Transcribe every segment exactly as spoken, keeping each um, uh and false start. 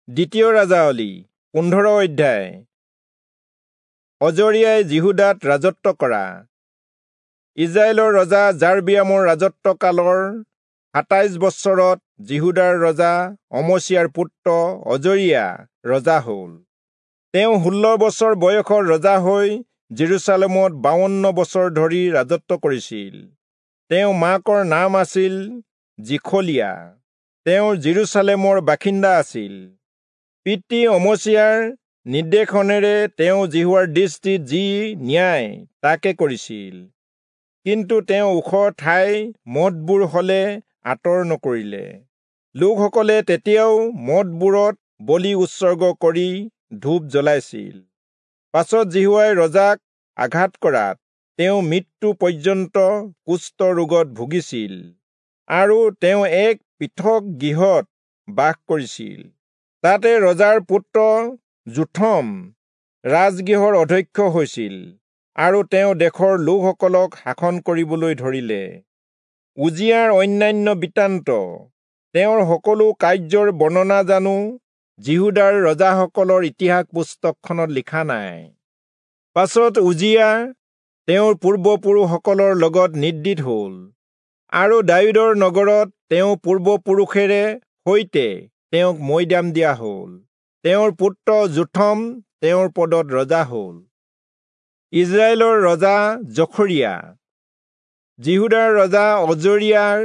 দ্বিতীয় ৰাজাৱলী পোন্ধৰ অধ্যায়। অজৰিয়াই যিহূদাত ৰাজত্ব কৰা। ইজৰাইলৰ ৰজা যাৰবিয়ামৰ ৰাজত্বকালৰ সাতাইশ বছৰত যিহূদাৰ ৰজা অমচিয়াৰ পুত্ৰ অজৰিয়া ৰজা হ'ল। তেওঁ ষোল্ল বছৰ বয়সৰ ৰজা হৈ জেৰুচালেমত বাৱন্ন বছৰ ধৰি ৰাজত্ব কৰিছিল। তেওঁ মাকৰ নাম আছিল জিখলিয়া। তেওঁ জেৰুচালেমৰ বাসিন্দা আছিল। পিতৃ অমচিয়াৰ নিৰ্দেশনেৰে তেওঁ যিহোৱাৰ দৃষ্টিত যি ন্যায় তাকে কৰিছিল, কিন্তু তেওঁ ওখ ঠাই মঠবোৰ হলে আঁতৰ নকৰিলে। লোকসকলে তেতিয়াও মঠবোৰত বলি উৎসৰ্গ কৰি ধূপ জ্বলাইছিল। পাছত যিহোৱাই ৰজাক আঘাত কৰাত তেওঁ মৃত্যু পৰ্যন্ত কুষ্ঠ ৰোগত ভুগিছিল আৰু তেওঁ এক পৃথক গৃহত বাস কৰিছিল। তাতে ৰজাৰ পুত্ৰ যোথম ৰাজগৃহৰ অধ্যক্ষ হৈছিল আৰু তেওঁ দেশৰ লোকসকলক শাসন কৰিবলৈ ধৰিলে। উজিয়াৰ অন্যান্য বৃত্তান্ত, তেওঁৰ সকলো কাৰ্যৰ বৰ্ণনা জানো যিহূদাৰ ৰজাসকলৰ ইতিহাস পুস্তকখনত লিখা নাই? পাছত উজিয়া তেওঁৰ পূৰ্বপুৰুষসকলৰ লগত নিদ্ৰিত হ'ল আৰু দায়ূদৰ নগৰত তেওঁ পূৰ্বপুৰুষেৰে সৈতে তেওঁক মৈদাম দিয়া হ'ল। তেওঁৰ পুত্ৰ যোথম তেওঁৰ পদত ৰজা হ'ল। ইজৰাইলৰ ৰজা জখৰিয়া। যিহূদাৰ ৰজা অজৰিয়াৰ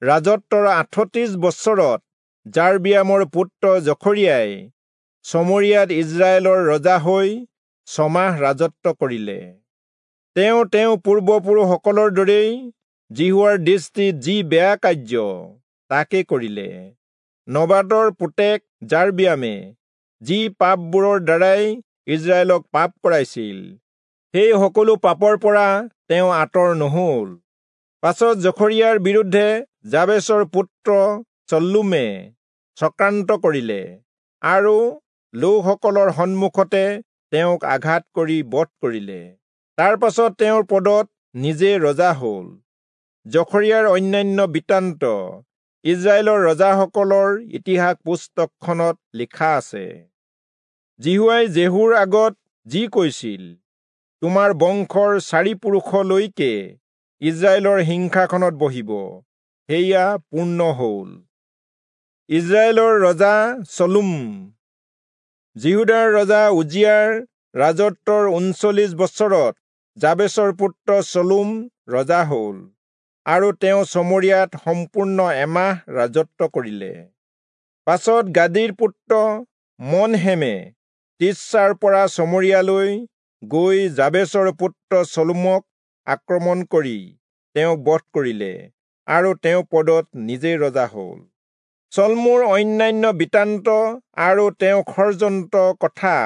ৰাজত্বৰ আঠত্ৰিশ বছৰত যাৰবিয়ামৰ পুত্ৰ জখৰিয়াই চমৰিয়াত ইজৰাইলৰ ৰজা হৈ ছমাহ ৰাজত্ব কৰিলে। তেওঁ তেওঁ পূৰ্বপুৰুষসকলৰ দৰেই যিহোৱাৰ দৃষ্টিত যি বেয়া কাৰ্য তাকে কৰিলে। নবাটৰ পুতেক যাৰবিয়ামে যি পাপবোৰৰ দ্বাৰাই ইজৰাইলক পাপ কৰাইছিল, সেই সকলো পাপৰ পৰা তেওঁ আঁতৰ নহল। পাছত জখৰিয়াৰ বিৰুদ্ধে যাবেচৰ পুত্ৰ চল্লুমে চক্ৰান্ত কৰিলে আৰু লোকসকলৰ সন্মুখতে তেওঁক আঘাত কৰি বধ কৰিলে। তাৰ পাছত তেওঁৰ পদত নিজে ৰজা হ'ল। জখৰিয়াৰ অন্যান্য বৃত্তান্ত ইজৰাইলৰ ৰজাসকলৰ ইতিহাস পুস্তকখনত লিখা আছে। যিহোৱাই জেহুৰ আগত যি কৈছিল, তোমাৰ বংশৰ চাৰি পুৰুষলৈকে ইজৰাইলৰ সিংহাসনত বহিব, সেয়া পূৰ্ণ হ'ল। ইজৰাইলৰ ৰজা চলোম। যিহূদাৰ ৰজা উজিয়াৰ ৰাজত্বৰ ঊনচল্লিশ বছৰত যাবেচৰ পুত্ৰ চলোম ৰজা হ'ল আৰু তেওঁ চমৰিয়াত সম্পূৰ্ণ এমাহ ৰাজত্ব কৰিলে। পাছত গাদীৰ পুত্ৰ মনহেমে তিৰ্চাৰ পৰা চমৰিয়ালৈ গৈ যাবেচৰ পুত্ৰ চলোমক আক্ৰমণ কৰি তেওঁক বধ কৰিলে আৰু তেওঁ পদত নিজে ৰজা হ'ল। চলমোৰ অন্যান্য বৃত্তান্ত আৰু তেওঁ ষড়যন্ত্ৰ কথা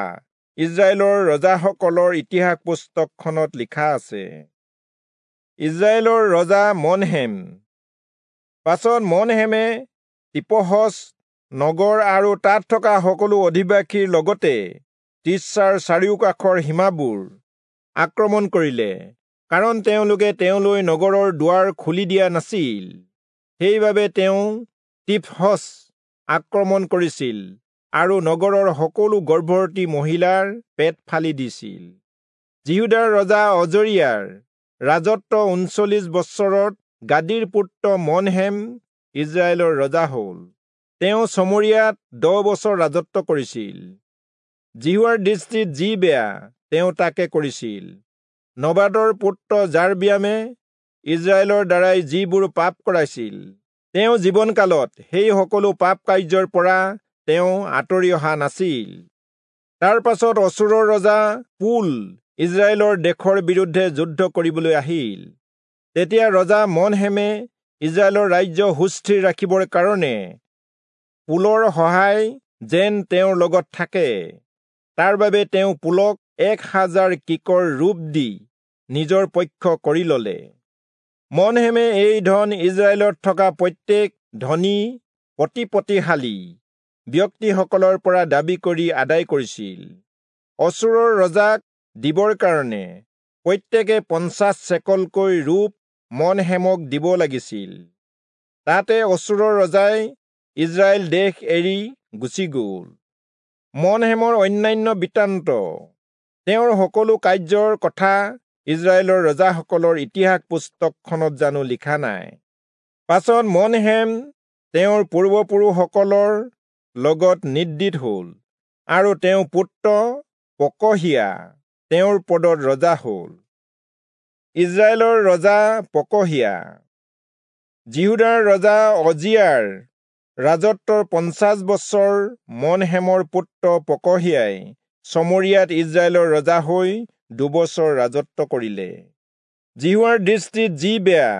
ইজৰাইলৰ ৰজাসকলৰ ইতিহাস পুস্তকখনত লিখা আছে। ইজৰাইলৰ ৰজা মনহেম। পাছত মনহেমে তিপহচ নগৰ আৰু তাত থকা সকলো অধিবাসীৰ লগতে তিৰ্চাৰ চাৰিওকাষৰ সীমাবোৰ আক্ৰমণ কৰিলে, কাৰণ তেওঁলোকে তেওঁলৈ নগৰৰ দুৱাৰ খুলি দিয়া নাছিল। সেইবাবে তেওঁ তিপহচ আক্ৰমণ কৰিছিল আৰু নগৰৰ সকলো গৰ্ভৱতী মহিলাৰ পেট ফালি দিছিল। যিহূদাৰ ৰজা অজৰিয়াৰ ৰাজত্ব ঊনচল্লিশ বছৰত গাদীৰ পুত্ৰ মনহেম ইজৰাইলৰ ৰজা হ'ল। তেওঁ চমৰিয়াত দহ বছৰ ৰাজত্ব কৰিছিল। যিহোৱাৰ দৃষ্টিত যি বেয়া তেওঁ তাকে কৰিছিল। নবাটৰ পুত্ৰ যাৰবিয়ামে ইজৰাইলৰ দ্বাৰাই যিবোৰ পাপ কৰাইছিল, তেওঁ জীৱনকালত সেই সকলো পাপ কাৰ্যৰ পৰা তেওঁ আঁতৰি অহা নাছিল। তাৰ পাছত অচূৰৰ ৰজা পুল ইজৰাইলৰ দেশৰ বিৰুদ্ধে যুদ্ধ কৰিবলৈ আহিল। তেতিয়া ৰজা মনহেমে ইজৰাইলৰ ৰাজ্য সুস্থিৰ ৰাখিবৰ কাৰণে পুলৰ সহায় যেন তেওঁৰ লগত থাকে, তাৰ বাবে তেওঁ পুলক এক হাজাৰ কিকৰ ৰূপ দি নিজৰ পক্ষ কৰি ললে। মনহেমে এই ধন ইজৰাইলত থকা প্ৰত্যেক ধনী প্ৰতিপত্তিশালী ব্যক্তিসকলৰ পৰা দাবী কৰি আদায় কৰিছিল। অচূৰৰ ৰজাক দিবৰ কাৰণে প্ৰত্যেকে পঞ্চাশ চেকলকৈ ৰূপ মনহেমক দিব লাগিছিল। তাতে অচূৰৰ ৰজাই ইজৰাইল দেশ এৰি গুচি গ'ল। মনহেমৰ অন্যান্য বৃত্তান্ত, তেওঁৰ সকলো কাৰ্যৰ কথা ইস্ৰায়েলৰ ৰজাসকলৰ ইতিহাস পুস্তকখনত জানো লিখা নাই? পাছত মনহেম তেওঁৰ পূৰ্বপুৰুষসকলৰ লগত নিদ্ৰিত হল, আৰু তেওঁৰ পুত্ৰ পকহীয়া তেওঁৰ পদত ৰজা হল। ইস্ৰায়েলৰ ৰজা পকহীয়া। যিহূদাৰ ৰজা অজিয়াৰ ৰাজত্বৰ পঞ্চাশ বছৰ মনহেমৰ পুত্ৰ পকহীয়াই চমৰিয়াত ইস্ৰায়েলৰ ৰজা হৈ দুবছৰ ৰাজত্ব কৰিলে। যিহোৱাৰ দৃষ্টিত যি বেয়া,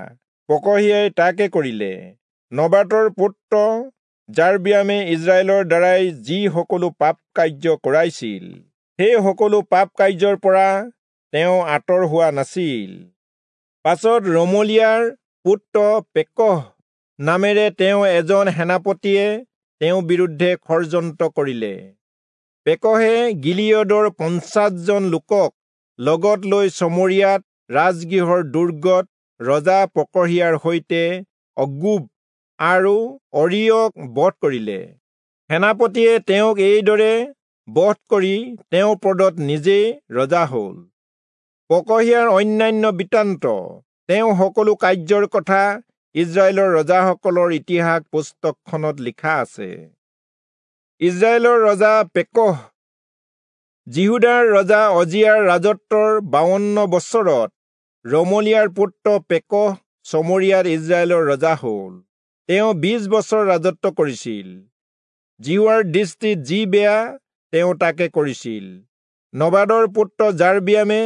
পকহীয়াই তাকে কৰিলে। নবাতৰ পুত্ৰ যাৰবিয়ামে ইস্ৰায়েলৰ দ্বাৰাই যি সকলো পাপ কাৰ্য কৰাইছিল, সেই সকলো পাপ কাৰ্যৰ পৰা তেওঁ আঁতৰ হোৱা নাছিল। পাছত ৰমলিয়াৰ পুত্ৰ পেকহ নামেৰে তেওঁ এজন সেনাপতিয়ে তেওঁৰ বিৰুদ্ধে ষড়যন্ত্ৰ কৰিলে। পেকহে গিলিয়দৰ পঞ্চাশজন লোকক লগত লৈ চমৰিয়াত ৰাজগৃহৰ দুৰ্গত ৰজা পকহীয়াৰ সৈতে অৰ্গোব আৰু অৰিয়ক বধ কৰিলে। সেনাপতিয়ে তেওঁক এইদৰে বধ কৰি তেওঁৰ পদত নিজেই ৰজা হল। পকহীয়াৰ অন্যান্য বৃত্তান্ত, তেওঁ সকলো কাৰ্যৰ কথা ইস্ৰায়েলৰ ৰজাসকলৰ ইতিহাস পুস্তকখনত লিখা আছে। ইস্ৰায়েলৰ ৰজা পেকহ। যিহূদাৰ ৰজা অজিয়াৰ ৰাজত্বৰ বাৱন্ন বছৰত ৰমলিয়াৰ পুত্ৰ পেকহ চমৰিয়াত ইস্ৰায়েলৰ ৰজা হল। তেওঁ বিশ বছৰ ৰাজত্ব কৰিছিল। যিহোৱাৰ দৃষ্টিত যি বেয়া, তেওঁ তাকে কৰিছিল। নবাদৰ পুত্ৰ যাৰবিয়ামে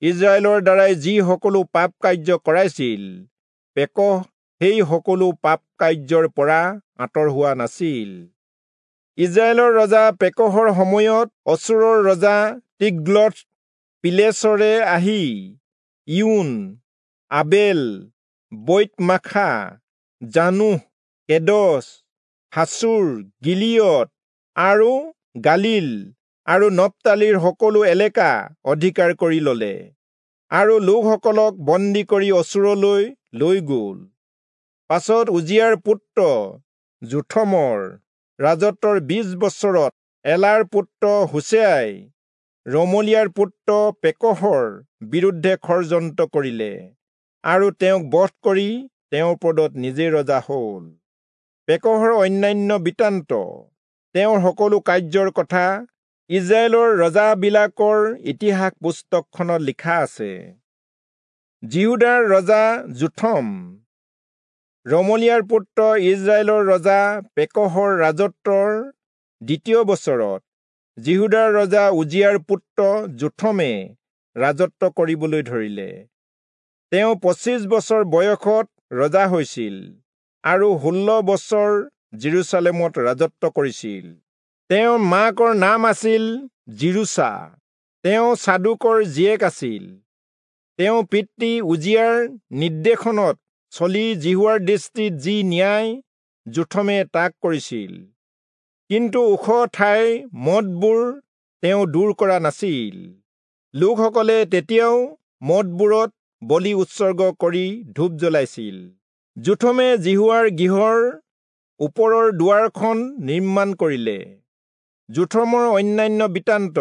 ইস্ৰায়েলৰ দ্বাৰাই যি সকলো পাপ কাৰ্য কৰাইছিল, পেকহ সেই সকলো পাপ কাৰ্যৰ পৰা আঁতৰ হোৱা নাছিল। ইস্ৰায়েলৰ ৰজা পেকহৰ সময়ত অচূৰৰ ৰজা তিগ্লথ পিলেচৰে আহি ইউন, আবেল বৈতমাখা, জানোহ, কেদছ, হাচোৰ, গিলিয়দ আৰু গালীল আৰু নপ্তালীৰ সকলো এলেকা অধিকাৰ কৰি ললে আৰু লোকসকলক বন্দী কৰি অচূৰলৈ লৈ গল। পাছত উজিয়াৰ পুত্ৰ যোথমৰ ৰাজত্বৰ বিশ বছৰত এলাৰ পুত্ৰ হোচেয়াই ৰমলিয়াৰ পুত্ৰ পেকহৰ বিৰুদ্ধে ষড়যন্ত্ৰ কৰিলে আৰু তেওঁক বধ কৰি তেওঁৰ পদত নিজে ৰজা হল। পেকহৰ অন্যান্য বৃত্তান্ত, তেওঁৰ সকলো কাৰ্যৰ কথা ইস্ৰায়েলৰ ৰজাবিলাকৰ ইতিহাস পুস্তকখনত লিখা আছে। যিহূদাৰ ৰজা যোথম। ৰমলিয়াৰ পুত্ৰ ইস্ৰায়েলৰ ৰজা পেকহৰ ৰাজত্বৰ দ্বিতীয় বছৰত যিহূদাৰ ৰজা উজিয়াৰ পুত্ৰ যোথমে ৰাজত্ব কৰিবলৈ ধৰিলে। তেওঁ পঁচিছ বছৰ বয়সত ৰজা হৈছিল আৰু ষোল্ল বছৰ যিৰূচালেমত ৰাজত্ব কৰিছিল। তেওঁৰ মাকৰ নাম আছিল যিৰূচা, তেওঁ চাদোকৰ জীয়েক আছিল। তেওঁ পিতৃ উজিয়াৰ নিৰ্দেশনত চলি যিহোৱাৰ দৃষ্টিত যি ন্যায়, যোথমে তাক কৰিছিল। কিন্তু ওখ ঠাইৰ মঠবোৰ তেওঁ দূৰ কৰা নাছিল। লোকসকলে তেতিয়াও মঠবোৰত বলি উৎসৰ্গ কৰি ধূপ জ্বলাইছিল। যোথমে যিহোৱাৰ গৃহৰ ওপৰৰ দুৱাৰখন নিৰ্মাণ কৰিলে। যোথমৰ অন্যান্য বৃত্তান্ত,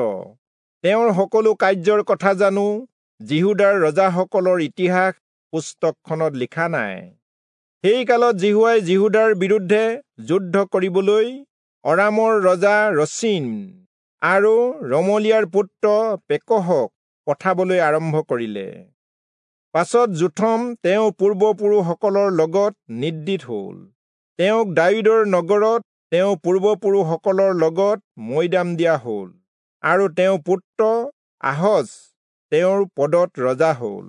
তেওঁৰ সকলো কাৰ্যৰ কথা জানো যিহূদাৰ ৰজাসকলৰ ইতিহাস পুস্তকখনত লিখা নাই? সেই কালত যিহোৱাই যিহূদাৰ বিৰুদ্ধে যুদ্ধ কৰিবলৈ অৰামৰ ৰজা ৰচীন আৰু ৰমলিয়াৰ পুত্ৰ পেকহক পঠাবলৈ আৰম্ভ কৰিলে। পাছত যোথম তেওঁৰ পূৰ্বপুৰুষসকলৰ লগত নিদ্ৰিত হল। তেওঁক দায়ূদৰ নগৰত তেওঁৰ পূৰ্বপুৰুষসকলৰ লগত মৈদাম দিয়া হল আৰু তেওঁৰ পুত্ৰ আহজ তেওঁৰ পদত ৰজা হল।